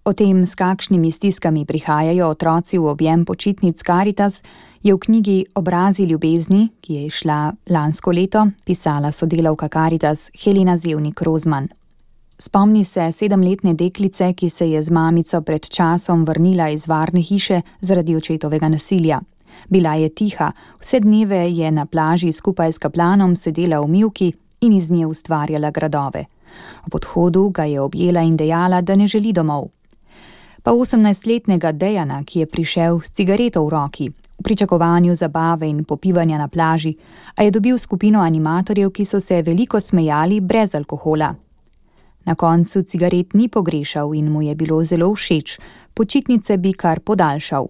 O tem, s kakšnimi stiskami prihajajo otroci v objem počitnic Karitas, je v knjigi Obrazi ljubezni, ki je izšla lansko leto, pisala sodelavka Karitas Helena Zevnik-Rozman. Spomni se 7-letne deklice, ki se je z mamico pred časom vrnila iz varne hiše zaradi očetovega nasilja. Bila je tiha, vse dneve je na plaži skupaj s kaplanom sedela v mivki in iz nje ustvarjala gradove. Ob odhodu ga je objela in dejala, da ne želi domov. Pa 18-letnega Dejana, ki je prišel s cigareto v roki, v pričakovanju zabave in popivanja na plaži, a je dobil skupino animatorjev, ki so se veliko smejali brez alkohola. Na koncu cigaret ni pogrešal in mu je bilo zelo všeč, počitnice bi kar podaljšal.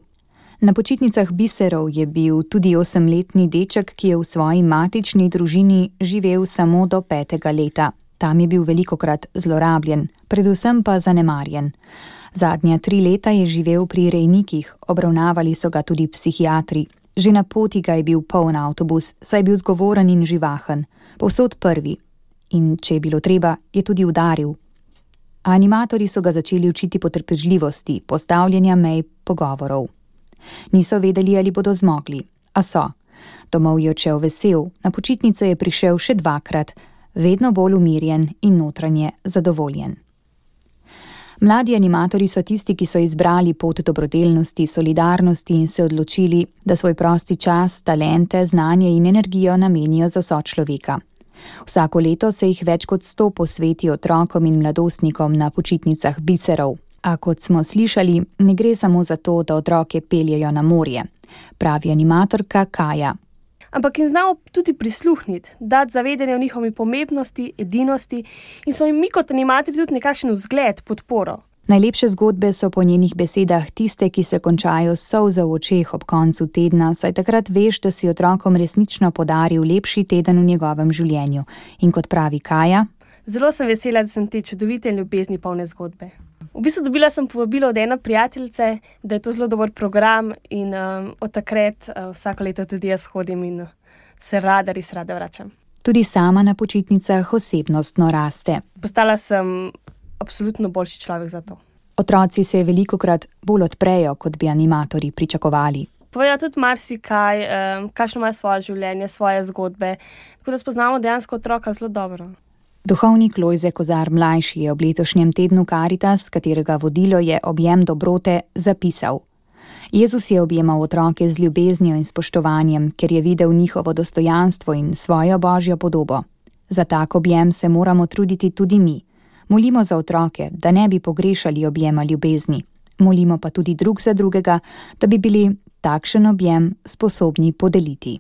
Na počitnicah biserov je bil tudi 8-letni deček, ki je v svoji matični družini živel samo do 5. leta. Tam je bil velikokrat zlorabljen, predvsem pa zanemarjen. Zadnja 3 leta je živel pri rejnikih, obravnavali so ga tudi psihiatri. Že na poti ga je bil poln avtobus, saj je bil zgovoren in živahen, povsod prvi. In če je bilo treba, je tudi udaril. Animatorji so ga začeli učiti potrpežljivosti, postavljanja mej, pogovorov. Niso vedeli, ali bodo zmogli, a so. Domov je odšel vesel, na počitnice je prišel še 2-krat, vedno bolj umirjen in notranje zadovoljen. Mladi animatorji so tisti, ki so izbrali pot dobrodelnosti, solidarnosti in se odločili, da svoj prosti čas, talente, znanje in energijo namenijo za sočloveka. Vsako leto se jih več kot 100 posveti otrokom in mladostnikom na počitnicah biserov. A kot smo slišali, ne gre samo za to, da otroke peljejo na morje, pravi animatorka Kaja. Ampak jim znamo tudi prisluhniti, dati zavedanje o njihovi pomembnosti, edinosti in smo jim mi kot animatorji tudi nekakšen vzgled, podporo. Najlepše zgodbe so po njenih besedah tiste, ki se končajo s solzo v očeh ob koncu tedna, saj takrat veš, da si otrokom resnično podaril lepši teden v njegovem življenju. In kot pravi Kaja: Zelo sem vesela, da sem te čudovite in ljubezni polne zgodbe. V bistvu dobila sem povabilo od ene prijateljice, da je to zelo dober program in od takrat vsako leto tudi jaz hodim in se res rada vračam. Tudi sama na počitnicah osebnostno raste. Postala sem absolutno boljši človek za to. Otroci se velikokrat bolj odprejo, kot bi animatorji pričakovali. Povejo tudi marsikaj, kakšno ima svoje življenje, svoje zgodbe, tako da spoznamo dejansko otroka zelo dobro. Duhovnik Lojze Kozar mlajši je ob letošnjem tednu Karitas, katerega vodilo je objem dobrote, zapisal: Jezus je objemal otroke z ljubeznijo in spoštovanjem, ker je videl njihovo dostojanstvo in svojo božjo podobo. Za tak objem se moramo truditi tudi mi. Molimo za otroke, da ne bi pogrešali objema ljubezni. Molimo pa tudi drug za drugega, da bi bili takšen objem sposobni podeliti.